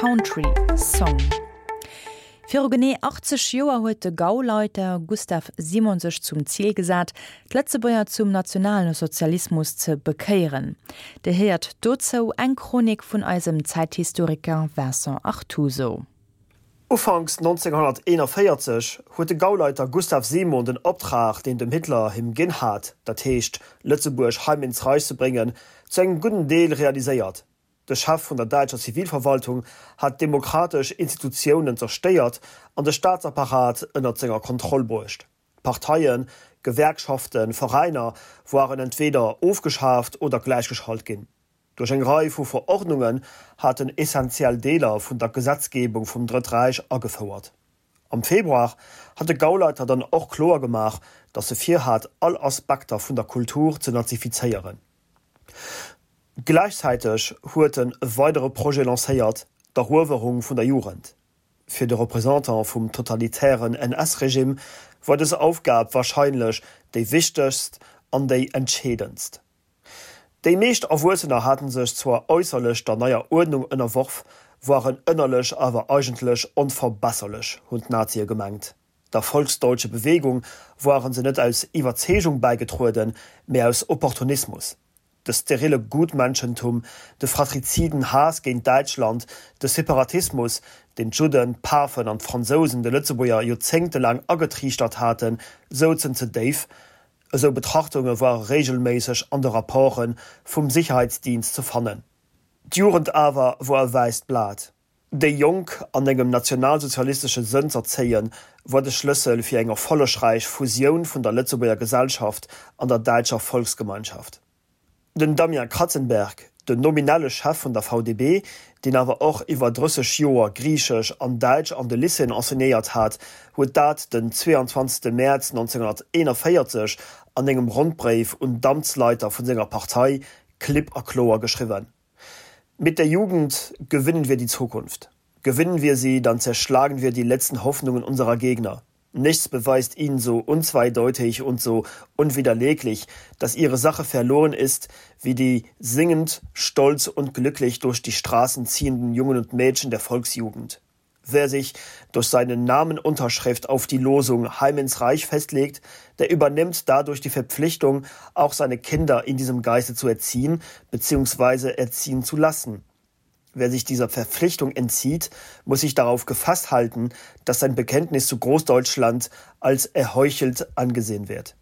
Country Song. Viru genee 80 Joer huet de Gauleiter Gustav Simon sech zum Zil gesat, d'Lëtzebuerger zum Nationalsozialismus ze bekéieren. Dir héiert dozou eng Chronik vun eisem Zäithistoriker Vincent Artuso. Ufanks 1941 huet de Gauleiter Gustav Simon den Optrag, deen dem Hitler him ginn hat, dat heescht Lëtzebuerg Heim ins Reich ze bréngen, zu engem gudden Deel realiséiert. De Chef vun der däitscher Zivilverwaltung hat d'demokratesch Institutiounen zerstéiert an de Staatsapparat ënnert senger Kontroll bruecht. Parteien, Gewerkschaften, Veräiner woaren entweeder ofgeschaaft oder gläichgeschalt ginn. Duerch eng Rei vu Verordnungen hat en essentiell Deeler vun der Gesetzgebung vum Drëtt Räich agefouert. Am Februar hat de Gauleiter dann och kloer gemaach, datt e virhat, all Aspekter vun der Kultur ze nazifizéieren. Gläichzäiteg huet en e weidere Projet lancéiert, d'Eruewerung vun der Jugend. Fir de Représentant vum totalitären NS-Regime war dës Aufgab warscheinlech déi wichtegst an déi entscheedendst. Déi meescht Erwuessener haten sech zwar äusserlech der neier Uerdnung ënnerworf, woaren ënnerlech awer eigentlech onverbesserlech, hunn d'Nazie gemengt. Der Volksdeutsche Bewegung woaren se net aus Iwwerzeegung bäigetrueden, mee aus Opportunismus. De sterile Gutmenschentum, de fratriziden Haass géint Däitschland, de Separatismus, deen d'Judden, d'Pafen an d'Fransousen de Lëtzebuerger joerzéngtelaang agetriichtert haten, souzen ze déif. Esou Betrachtunge ware regelméisseg an de Rapporte vum Sicherheitsdienst ze fannen. D'Jugend awer wor e wäisst Blat. Déi Jonk an engem nationalsozialistesche Sënn z'erzéien, wor de Schlëssel fir eng erfollegräich Fusioun vun der Lëtzebuerger Gesellschaft an der däitscher Volksgemeinschaft. Den Damien Kratzenberg, den nominelle Chef vun der VDB, deen awer och iwwer 30 Joer Griichesch an Däitsch an de Lycéeën enseignéiert hat, huet dat den 22 Mäerz 1941 an engem Rondbréif un d'Amtsleiter vun senger Partei klipp a kloer geschriwwen, Mit der Jugend gewinnen wir die Zukunft. Gewinnen wir sie, dann zerschlagen wir die letzten Hoffnungen unserer Gegner. Nichts beweist ihnen so unzweideutig und so unwiderleglich, dass ihre Sache verloren ist, wie die singend, stolz und glücklich durch die Straßen ziehenden Jungen und Mädchen der Volksjugend. Wer sich durch seine Namenunterschrift auf die Losung Heim ins Reich festlegt, der übernimmt dadurch die Verpflichtung, auch seine Kinder in diesem Geiste zu erziehen bzw. erziehen zu lassen. Wer sich dieser Verpflichtung entzieht, muss sich darauf gefasst halten, dass sein Bekenntnis zu Großdeutschland als erheuchelt angesehen wird.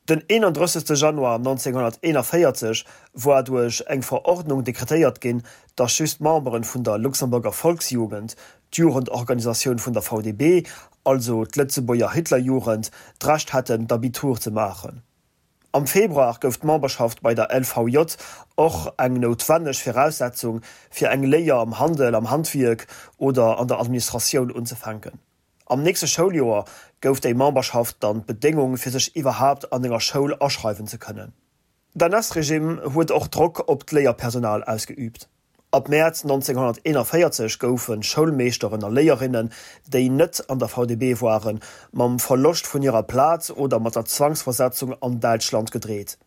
Den 31. Januar 1941 war duerch eng Verordnung dekretéiert ginn, datt just d'Memberen vun der Luxemburger Volksjugend, d'Jugendorganisatioun vun der VDB, also d'Lëtzebuerger Hitlerjugend, d'Recht hätten d'Abitur ze maachen. Am Februar gouf d'Memberschaft bei der LVJ och eng noutwenneg Viraussetzung, fir eng Léier am Handel, am Handwierk oder an der Administratioun unzefänken. Am nächste Schouljoer gouf déi Memberschaft dann d'Bedéngung, fir sech iwwerhaapt an enger Schoul aschreiwen ze kënnen. D'NS-Regime huet och Drock op d'Léierpersonal ausgeüübt. Ab Mäerz 1941 goufe Schoulmeeschteren a Léierinnen, déi net an der VDB waren, mam Verloscht vun hirer Plaz oder mat der Zwangsversetzung an Däitschland gedreet.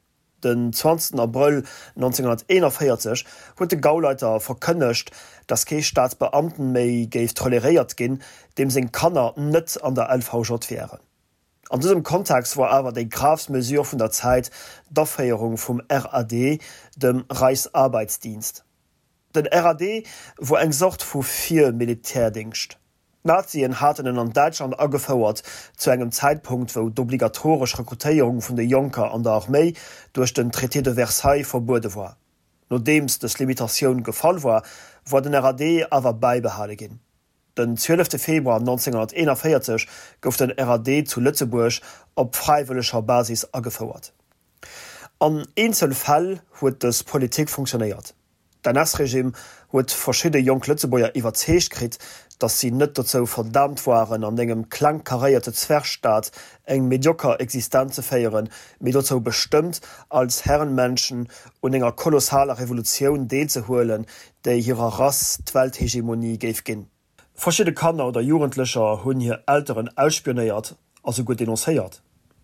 Den 20 Abrëll 1941 huet de Gauleiter verkënnegt, datt kee Staatsbeamten méi géif toleréiert ginn, deem seng Kanner net an der LVJ wären. An dësem Kontext war awer déi gravst Mesure vun der Zäit d'Aféierung vum RAD, dem Reichsarbeitsdienst. Den RAD wor eng Sort vu Vir-Militärdingscht. D'Nazien haten en an Däitschland agefouert zu engem Zäitpunkt, wou d'obligatoresch Rekrutéierung vun de Jonker an der Arméi duerch den Traité de Versailles verbuede war. Nodeems dës Limitatioun gefall war, war den RAD awer bäibehale ginn. Den 12 Februar 1941 gouf den RAD zu Lëtzebuerg op fräiwëlleger Basis agefouert. An eenzel Fäll huet dës Politik funktionéiert. D'NS-Regime huet verschidde jonk Lëtzebuerger iwwerzeegt kritt, datt si net dozou verdaamt waren, an engem klengkaréierte Zwergstaat eng medioker Existenz ze féieren, mee dozou bestëmmt, als Herrenmenschen un enger kolossaler Revolutioun deelzehuelen, déi hirer Rass d'Welthegemonie géif ginn. Verschidde Kanner oder Jugendlecher hunn hir Elteren ausspionéiert a souguer denoncéiert.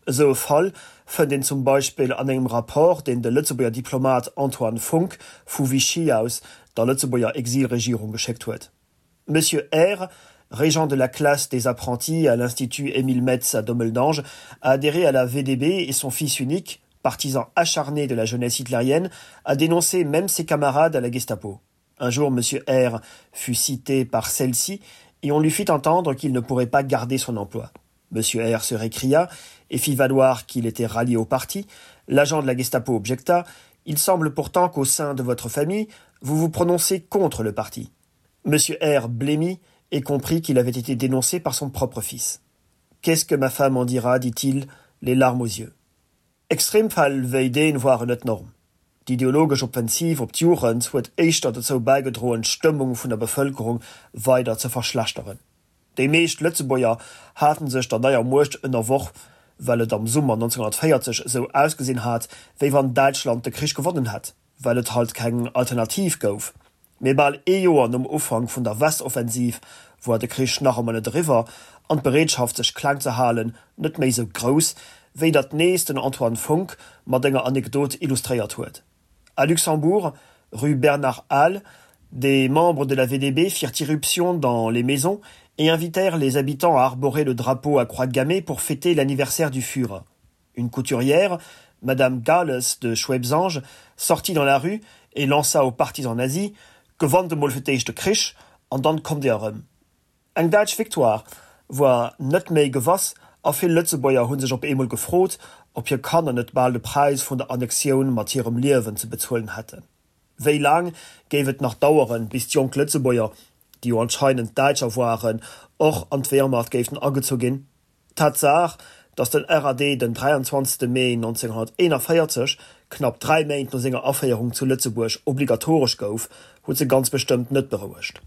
Esou e Fall fënnt een zum Beispill an engem Rapport, deen de Lëtzebuerger Diplomat Antoine Funck vu Vichy aus der Lëtzebuerger Exilregierung geschéckt huet. Monsieur R, régent de la classe des apprentis à l'Institut Émile Metz à Dommeldange, a adhéré à la VDB et son fils unique, partisan acharné de la jeunesse hitlérienne, a dénoncé même ses camarades à la Gestapo. Un jour, Monsieur R fut cité par celle-ci et on lui fit entendre qu'il ne pourrait pas garder son emploi. Monsieur R se récria et fit valoir qu'il était rallié au parti. L'agent de la Gestapo objecta: Il semble pourtant qu'au sein de votre famille, vous vous prononcez contre le parti. Monsieur R blêmit et comprit qu'il avait été dénoncé par son propre fils. Qu'est-ce que ma femme en dira, dit-il, les larmes aux yeux. Extremfäll wéi deen waren net d'Norm. D'ideologesch Offensiv op d'Jugend huet éischter dozou bäigedroen, d'Stëmmung vun der Bevëlkerung weider ze verschlechteren. Déi meescht Lëtzebuerger haten sech der neier Muecht ënnerworf, well et am Summer 1940 esou ausgesinn hat, wéi wann Däitschland de Krich gewonnen hätt, well et halt keng Alternativ gouf. Mee bal ee Joer nom Ufank vun der Westoffensiv woar de Krich nach ëmmer net eriwwer an d'Bereetschaft sech kleng ze halen net méi sou grouss, wéi dat nees den Antoine Funck mat enger Anekdot illustréiert huet. À Luxembourg, rue Bernard Hall, des membres de la VDB firent irruption dans les maisons et invitèrent les habitants à arborer le drapeau à croix gammée pour fêter l'anniversaire du Führer. Une couturière, Madame Gales de Schwebsange, sortit dans la rue et lança aux partisans nazis: Gewannt emol fir d'éischt de Krich an dann kommt Dir erëm. Eng däitsch Victoire woar net méi gewass a vill Lëtzebuerger hu sech op eemol gefrot, ob hir Kanner net bal de Präis vun der Annexioun mat hirem Liewen ze bezuelen hätten. Wéi laang géif et nach daueren, bis d'jonk Lëtzebuerger, déi jo anscheinend Däitscher woaren, och an d'Wehrmacht géifen agezu ginn? D'Tatsaach, datt den RAD den 23 Mee 1941, knapp 3 Méint no senger Aféierung zu Lëtzebuerg, obligatoresch gouf, huet se ganz bestëmmt net berouegt.